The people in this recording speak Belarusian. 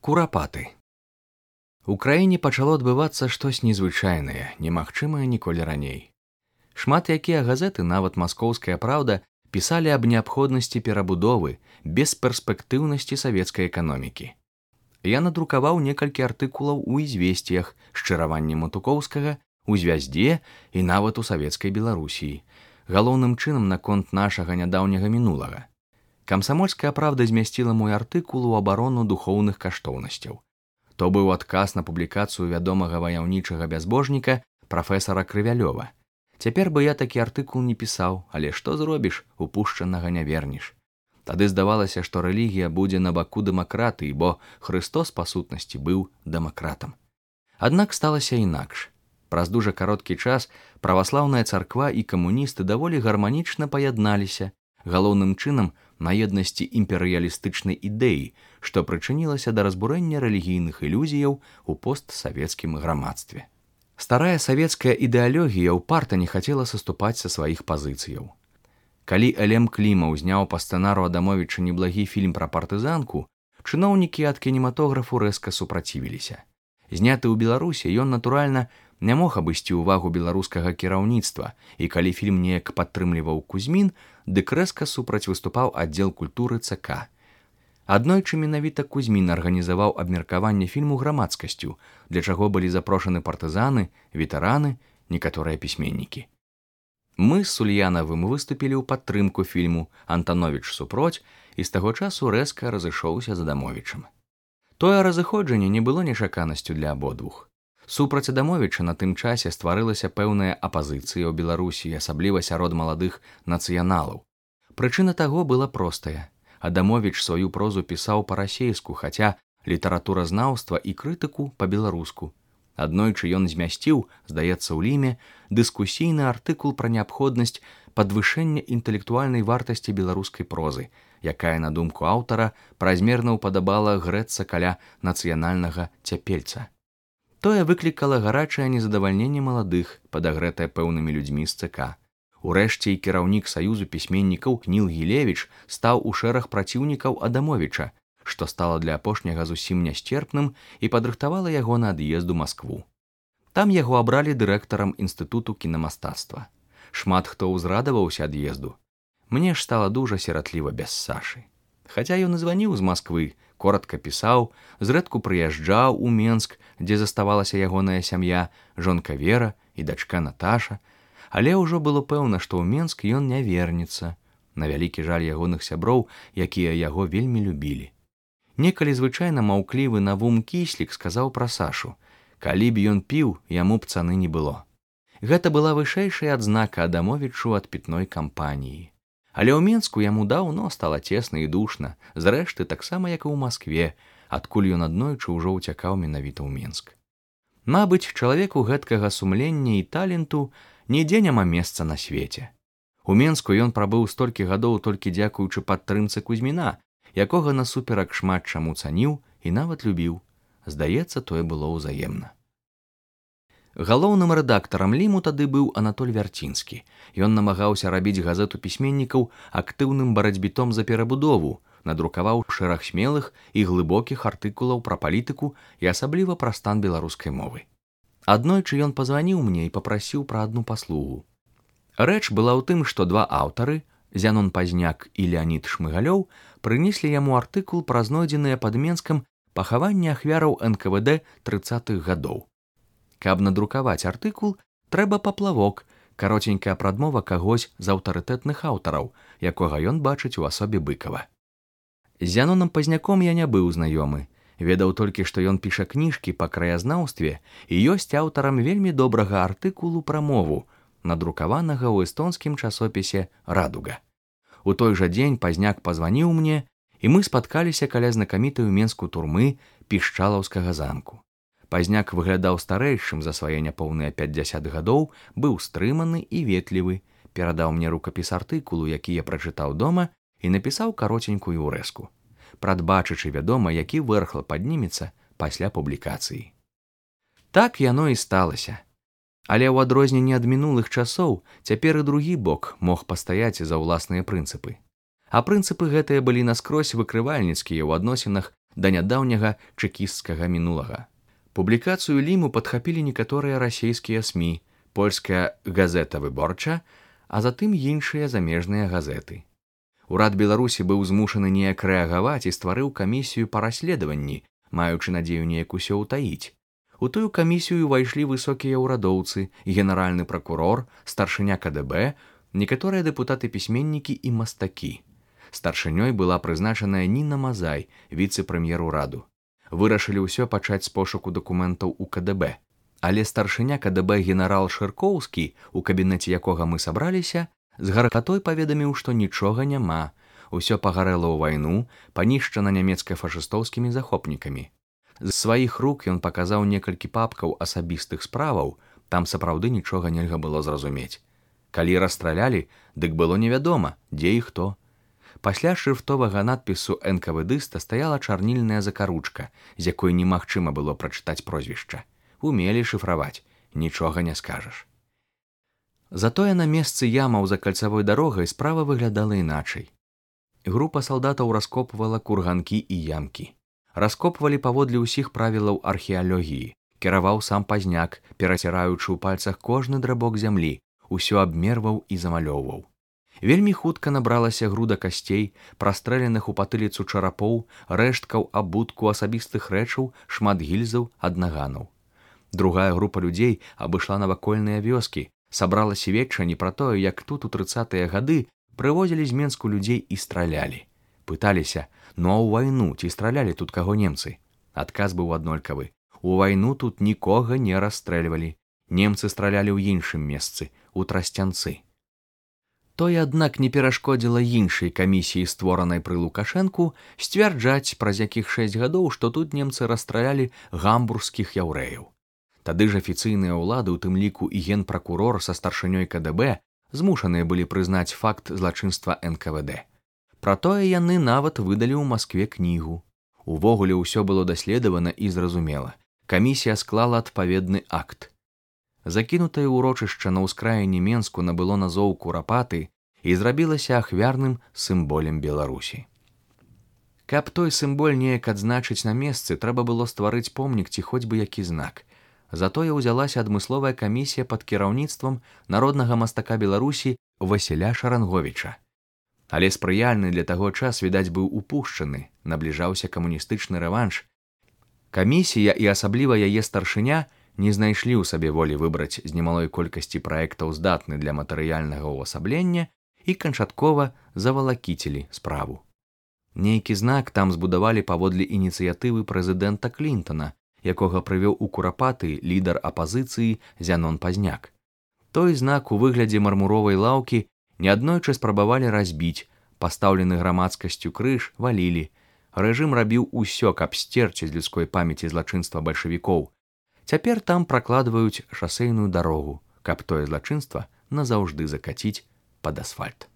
Курапаты. У краіне пачало адбывацца штось незвычайнае, немагчымае ніколі раней. Шмат якія газеты, нават маскоўская праўда, пісалі аб неабходнасці перабудовы, бесперспектыўнасці савецкай эканомікі. Я надрукаваў некалькі артыкулаў у «Ізвесціях», «Шчыраванні Матукоўскага», у «Звяздзе» і нават у савецкай Беларусіі, галоўным чынам наконт нашага нядаўняга мінулага. Камсамольская правда змясціла мой артыкул у абарону духоўных каштоўнасцяў. То быў адказ на публікацыю вядомага ваяўнічага бязбожніка прафесара Крывялёва. Цяпер бы я такі артыкул не пісаў, але што зробіш, упушчанага не вернеш. Тады здавалася, што рэлігія будзе на баку дэмакратыі, бо Хрыстос па сутнасці быў дэмакратам. Аднак сталася інакш. Праз дужа кароткі час праваслаўная царква і камуністы даволі гарманічна паядналіся, галоўным чынам на еднасці імперыялістычнай ідэі, што прычынілася да разбурэння рэлігійных ілюзіяў у постсавецкім грамадстве. Старая савецкая ідэалогія ўпарта не хацела саступаць са сваіх пазіцыяў. Калі Элем Клімаў зняў па сцэнару Адамовіча неблагі фільм пра партызанку, чыноўнікі ад кінематографу рэзка супрацівіліся. Зняты ў Беларусі, ён, натуральна, не мог абысці ўвагу беларускага кіраўніцтва, і калі фільм неяк падтрымліваў Кузьмін, дык рэзка супраць выступаў аддзел культуры ЦК. Аднойчы менавіта Кузьмін арганізаваў абмеркаванне фільму грамадскасцю, для чаго былі запрошаны партызаны, ветэраны, некаторыя пісьменнікі. Мы з Сульянавым выступілі ў падтрымку фільму, Антановіч супроць, і з таго часу рэзка разышоўся з Адамовічам. Тое разыходжанне не было нечаканасцю для абодвух. Супраць Адамовіча на тым часе стварылася пэўная апазіцыя ў Беларусі, асабліва сярод маладых нацыяналаў. Прычына таго была простая. Адамовіч сваю прозу пісаў па-расейску, хаця літаратуразнаўства і крытыку па-беларуску. Аднойчы ён змясціў, здаецца ў Ліме, дыскусійны артыкул пра неабходнасць падвышэння інтэлектуальнай вартасці беларускай прозы, якая, на думку аўтара, празмерна ўпадабала грэцца каля нацыянальнага цяпельца. Тое выклікала гарачае незадавальненне маладых, падагрэтае пэўнымі людзьмі з ЦК. Урэшце і кіраўнік Саюзу пісьменнікаў Ніл Гілевіч стаў у шэраг праціўнікаў Адамовіча, што стала для апошняга зусім нясцерпным і падрыхтавала яго на ад'езд у Маскву. Там яго абралі дырэктарам інстытуту кінамастацтва. Шмат хто ўзрадаваўся ад'езду. Мне ж стала дужа сіратліва без Сашы. Хаця ён і званіў з Масквы, коратка пісаў, зрэдку прыязджаў у Менск, дзе заставалася ягоная сям'я, жонка Вера і дачка Наташа, але ўжо было пэўна, што ў Менск ён не вернецца, на вялікі жаль ягоных сяброў, якія яго вельмі любілі. Некалі звычайна маўклівы Навум Кіслік сказаў пра Сашу: «Калі б ён піў, яму б цаны не было». Гэта была вышэйшая адзнака Адамовічу ад пітной кампаніі. Але ў Менску яму даўно стала цесна і душна, зрэшты, таксама як і ў Маскве, адкуль ён аднойчы ўжо ўцякаў менавіта ў Менск. Мабыць, чалавеку гэткага сумлення і таленту нідзе няма месца на свеце. У Менску ён прабыў столькі гадоў толькі дзякуючы падтрымцы Кузьміна, якога насуперак шмат чаму цаніў і нават любіў. Здаецца, тое было ўзаемна. Галоўным рэдактарам Ліму тады быў Анатоль Вярцінскі. Ён намагаўся рабіць газету пісьменнікаў актыўным барацьбітом за перабудову, надрукаваў шэраг смелых і глыбокіх артыкулаў пра палітыку і асабліва пра стан беларускай мовы. Аднойчы ён пазваніў мне і папрасіў пра адну паслугу. Рэч была ў тым, што два аўтары, Зянон Пазняк і Леанід Шмыгалёў, прынеслі яму артыкул пра знойдзеныя пад Менскам пахаванні ахвяраў НКВД 30-х гадоў. Каб надрукаваць артыкул, трэба паплавок, каротенькая прадмова кагось з аўтарытэтных аўтараў, якога ён бачыць у асобе Быкава. З Зяноном Пазняком я не быў знаёмы, ведаў толькі, што ён піша кніжкі па краязнаўстве і ёсць аўтарам вельмі добрага артыкулу пра мову, надрукаванага ў эстонскім часопісе «Радуга». У той жа дзень Пазняк пазваніў мне, і мы спаткаліся каля знакамітай у Менску турмы Пішчалаўскага замку. Пазняк выглядаў старэйшым за свае няпоўныя 50 гадоў, быў стрыманы і ветлівы, перадаў мне рукапіс артыкулу, які я прачытаў дома, і напісаў каротенькую ўрэзку. Прадбачачы, вядома, які вэрхла паднімецца пасля публікацыі. Так яно і сталася. Але ў адрозненне ад мінулых часоў, цяпер і другі бок мог пастаяць за ўласныя прынцыпы. А прынцыпы гэтыя былі наскрозь выкрывальніцкія ў адносінах да нядаўняга чэкісцкага мінулага. Публікацыю ліму падхапілі некаторыя расійскія СМІ, польская газета «Выборча», а затым іншыя замежныя газеты. Урад Беларусі быў змушаны неяк рэагаваць і стварыў камісію па расследаванні, маючы надзею неяк усё ўтаіць. У тую камісію ўвайшлі высокія ўрадоўцы, генеральны пракурор, старшыня КДБ, некаторыя дэпутаты-пісьменнікі і мастакі. Старшынёй была прызначаная Ніна Мазай, віцэ-прэм'ер ураду. Вырашылі ўсё пачаць з пошуку дакументаў у КДБ. Але старшыня КДБ генерал Шыркоўскі, у кабінеце якога мы сабраліся, з гаркатой паведаміў, што нічога няма, усё пагарэла ў вайну, панішчана нямецка-фашыстоўскімі захопнікамі. З сваіх рук ён паказаў некалькі папкаў асабістых справаў, там сапраўды нічога нельга было зразумець. Калі расстралялі, дык было невядома, дзе і хто. Пасля шрыфтовага надпісу НКВДыста стаяла чарнільная закаручка, з якой немагчыма было прачытаць прозвішча. Умелі шыфраваць, нічога не скажаш. Затое на месцы ямаў за кальцавой дарогай справа выглядала іначай. Група салдатаў раскопвала курганкі і ямкі. Раскопвалі паводле ўсіх правілаў археалогіі. Кіраваў сам пазняк, пераціраючы ў пальцах кожны драбок зямлі, усё абмерваў і замалёўваў. Вельмі хутка набралася груда касцей, прастрэленых у патыліцу чарапоў, рэшткаў, абутку, асабістых рэчаў, шмат гільзаў, аднаганаў. Другая група людзей абышла навакольныя вёскі, сабрала сведчанні пра тое, як тут у 30-е гады прывозілі з Менску людзей і стралялі. Пыталіся, ну а ў вайну ці стралялі тут каго немцы? Адказ быў аднолькавы. У вайну тут нікога не расстрэльвалі. Немцы стралялі ў іншым месцы, у Трасцянцы. Тое, аднак, не перашкодзіла іншай камісіі, створанай пры Лукашэнку, сцвярджаць праз якіх 6 гадоў, што тут немцы расстралялі гамбургскіх яўрэяў. Тады ж афіцыйныя ўлады, у тым ліку і генпракурор са старшынёй КДБ, змушаныя былі прызнаць факт злачынства НКВД. Пра тое яны нават выдалі ў Маскве кнігу. Увогуле ўсё было даследавана і зразумела. Камісія склала адпаведны акт. Закінутае ўрочышча на ўскраіне Менску набыло назоў Курапаты і зрабілася ахвярным сімболем Беларусі. Каб той сімболь неяк адзначыць на месцы, трэба было стварыць помнік ці хоць бы які знак. Затое ўзялася адмысловая камісія пад кіраўніцтвам народнага мастака Беларусі Васіля Шаранговіча. Але спрыяльны для таго час, відаць, быў упушчаны, набліжаўся камуністычны рэванш. Камісія і асабліва яе старшыня не знайшлі ў сабе волі выбраць з немалой колькасці праектаў здатны для матэрыяльнага ўвасаблення і канчаткова завалакіцілі справу. Нейкі знак там збудавалі паводле ініцыятывы прэзідэнта Клінтона, якога прывёў у Курапаты лідар апазіцыі Зянон Пазняк. Той знак у выглядзе мармуровай лаўкі неаднойчы спрабавалі разбіць, пастаўлены грамадскасцю крыж валілі. Рэжым рабіў усё, каб сцерці з людской памяці злачынства бальшавікоў. Цяпер там пракладваюць шасейную дарогу, каб тое злачынства назаўжды закаціць пад асфальт.